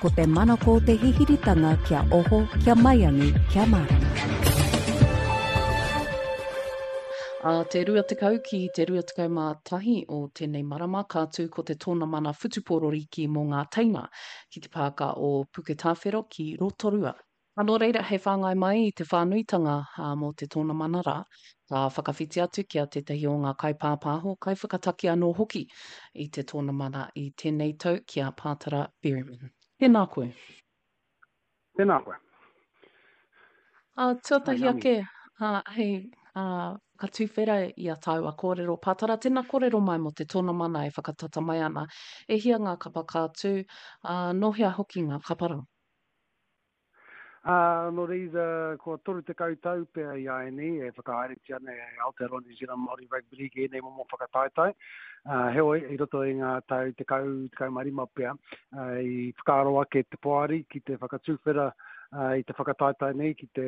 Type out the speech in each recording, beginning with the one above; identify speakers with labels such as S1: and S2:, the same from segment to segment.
S1: Ko te manako o te hihiritanga kia oho, kia maiangi, kia mārama.
S2: Ā te 20 ki te 21 o tēnei marama ka tū ko te tōnamana whutupōro rīki mō ngā teina ki te pāka o Puketāwhero ki Rotorua. Ā, nō reira, hei whāngai mai i te whānuitanga mō te tōnamana rā, ka whakawhiti atu ki a tētahi o ngā kaipāpāho, kaiwhakataki anō hoki i te tōnamana i tēnei tau ki a Pātara Berryman. Tēnā koe.
S3: Tēnā koe.
S2: Ā, tuatahi ake, ā, hei, ā, whakatuwhera i a tāua kōrero, Pātara, tēnā kōrero mai mō te tōnamana e whakatata mai ana. E hia ngā kapa ka tū, ā, nō hea hoki ngā kapa rā?
S3: Ā, nō reira, kua 30 tau pea i āianei e whakahaeretia ana e Aotearoa New Zealand Māori Rugby League ēnei momo whakataetae. Ā, heoi, i roto i ngā tau 10, 15 pea, ā, i whakaaro ake te poari ki te whakatuwhera i te whakataetae nei ki te,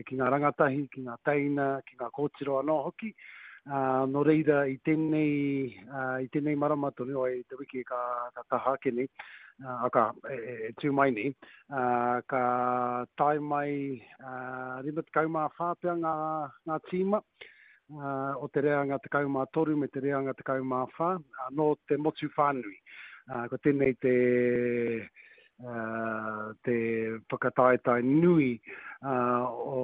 S3: ki ngā rangatahi, ki ngā teina, ki ngā kōtiro anō hoki. Ā, nō reira, i tēnei, ā, i tēnei marama tonu, i te wiki ka, ka taha ake nei, ā, ka, e, e, e tū mai nei, ā, ka tae mai, ā, 54 pea ngā, ngā tīma, ā, o te reanga 13 me te reanga 14, ā, nō te motu whānui. Ā, ko tēnei te, ā, te whakataetae nui, ā, o,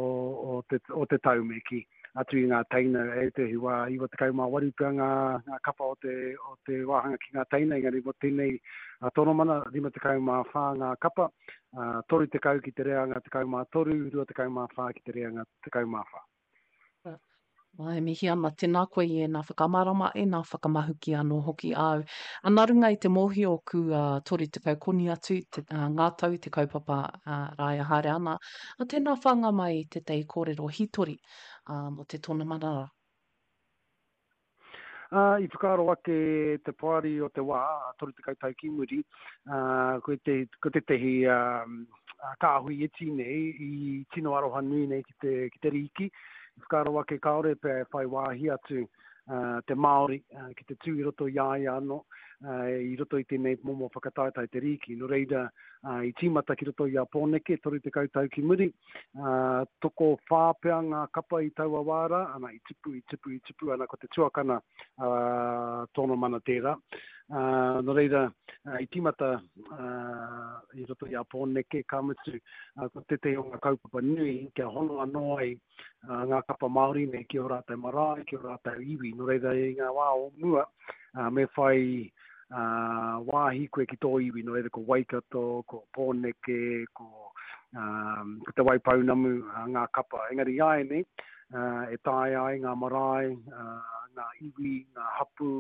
S3: o te, o te tau me kī. Atu i ngā teina, ētehi wā 98 pea ngā, ngā kapa o te, o te wāhanga ki ngā teina, engari mō tēnei tonomana, 54 ngā kapa, 30 ki te reanga 13, 24 ki te reanga 14.
S2: Ā, e mihi ana, tēnā koe i ēnā whakamārama, ēnā whakamahuki anō hoki āu. Ā, nā runga i te mōhio kua 30 koni atu te, ā, ngā tau te kaupapa, ā, rā e haere ana, ā, tēnā whānga mai i tētahi kōrero hītori, ā, mō te tōnamana rā.
S3: Ā, i whakaaro ake te poari o te wā, 30 tau ki muri, ā, ko te, ko tētehi ā, kāhui iti nei i tino aroha nui nei ki te, ki te rīki. I whakaaro ake kāore pea e whai wāhi atu ā, te Māori ā, ki te tū i roto i a ia anō, ā, i roto i tēnei momo whakataetae te rīki. Nō reira, ā, i tīmata ki roto i a Pōneke, 30 tau ki muri, Ā, tokowhā pea ngā kapa i taua wā rā, ana, i tupu, i tupu, i tupu, ana, ko te tuakana, ā, tōna mana tērā. Ā, nō reira, i tīmata, ā, i roto i a Pōneke, ka mutu, ā, ko tētehi o ngā kaupapa nui kia hono anō ai, ā, ngā kapa Māori nei ki ō rātou marae, ki ō rātou iwi. Nō reira, i ngā wā o mua, ā, me whai, ā, wāhi koe ki tō iwi, nō reira ko Waikato, ko Pōneke, ko, ā, ko Te Waipounamu, ā, ngā kapa. Engari āianei, ā, e taea ai ngā marae, ā, ngā iwi, ngā hapū,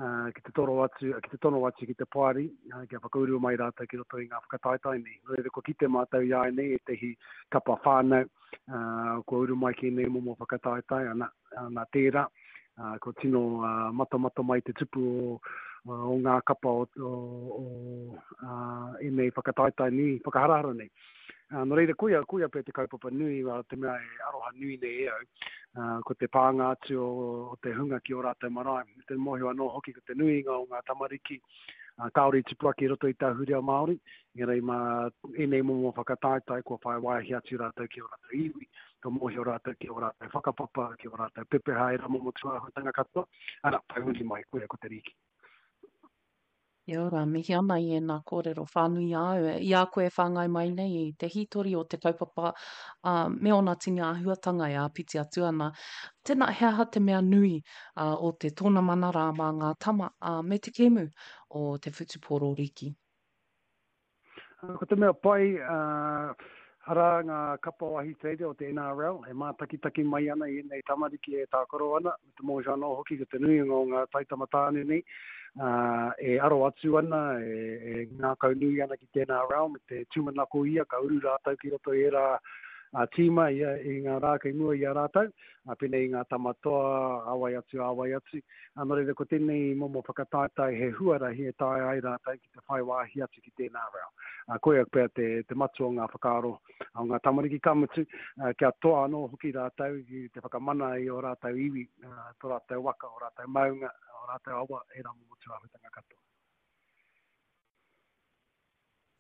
S3: ā, ki te toro atu, ki te tono atu ki te poari, ā, kia whakauru mai rātou ki roto i ngā whakataetae nei. Nō reira, kua kite mātou i āianei ētehi kapa whānau, ā, kua uru mai ki ēnei momo whakataetae, ana, nā tērā, ā, kua tino matamata mai te tupu o, o ngā kapa o, o, o ā, ēnei whakataetae nui, whakaharahara nei. Ā, nō reira, koia, koia pea te kaupapa nui, ā, te mea e aroha nui nei e au, ā, ko te pānga atu o, o te hunga ki ō rātou marae. Me te mōhio anō hoki ko te nuinga o ngā tamariki, ā, kāore i tupu ake i roto i te ahurea Māori, engari mā ēnei momo whakataetae kua whai wāhi atu rātou ki ō rātou iwi, ka mōhio rātou ki ō rātou whakapapa, ki ō rātou pepeha, ērā momo tūāhuatanga katoa, ana, whai muri mai, koia ko te rīki.
S2: Kia ora, mihi ana i ēnā kōrero whānui āu, i a koe e whāngai mai nei i te hītori o te kaupapa, ā, me ōna tini āhuatanga e āpiti atu ana. Tēnā, he aha te mea nui, ā, o te tōnamana rā mā ngā tama, ā, me te kēmu o te whutupōro rīki?
S3: Ko te mea pai, arā ngā kapa o Ahitereiria o te NRL e mātakitaki mai ana i ēnei tamariki e tākaro ana, me te mōhio anō hoki ko te nuinga o ngā taitama tāne nei e aro atu ana, e ngākaunui ana ki te NRL me te tūmanako ia ka uru rātou ki roto i ērā tīma i ngā rā kei mua i a rātou, pēnei i ngā tama toa, a wai atu, a wai atu. Nō reira ko tēnei momo whakataetae he huarahi e taea ai rātou ki te whai wāhi atu ki tēnā reo. Uh, koia pea te, te matua o ngā whakaaro o ngā tamariki, ka mutu, uh, kia toa anō hoki rātou ki te whakamana i ō rātou iwi, uh, tō rātou waka, ō rātou maunga, ō rātou awa, ērā momo tūāhuatanga katoa.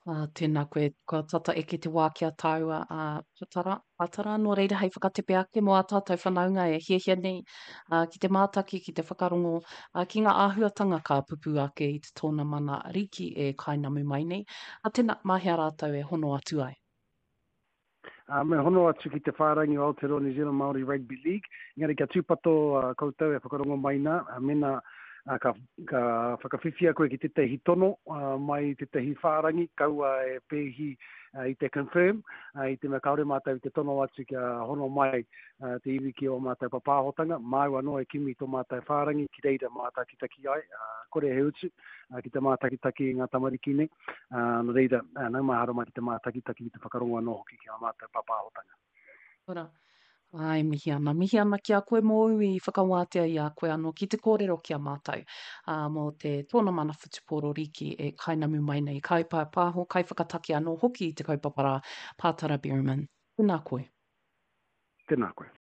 S2: Ā, tēnā koe, kua tata eke te wā ki a tāua, ā, Patara, Patara, nō reira hei whakatepe ake mō ā tātou whanaunga e hiahia nei, ā, ki te mātaki, ki te whakarongo, ā, ki ngā āhuatanga ka pupū ake i te tōnamana rīki e kainamu mai nei, ā, tēnā, mā hea rātou e hono atu ai?
S3: Ā, me hono atu ki te whārangi o Aotearoa New Zealand Māori Rugby League, engari kia tūpato koutou e whakarongo mai nā, mēnā ka, ka whakawhiwhia koe ki tētahi tono mai i tētahi whārangi, kaua e pēhi i te confirm, i te mea kāore mātou i te tono atu kia hono mai te iwi ki ō mātou papāhotanga, māu anō e kimi tō mātou whārangi ki reira mātakitaki ai, kore he utu ki te mātakitaki i ngā tamariki nei. Nō reira, nau mai haere mai ki te mātakitaki, ki te whakarongo anō hoki ki ā mātou pāpāhotanga.
S2: Ora. Āe, mihi ana. Mihi ana ki a koe mōu i whakawātea i a koe anō ki te kōrero ki a mātou, ā, mō te tōna mana whutupōro rīki e kainamu mai nei, kaipāpāho, kaiwhakataki anō hoki i te kaupapa rā, Pātara Behrman. Tēnā koe.
S3: Tēnā koe.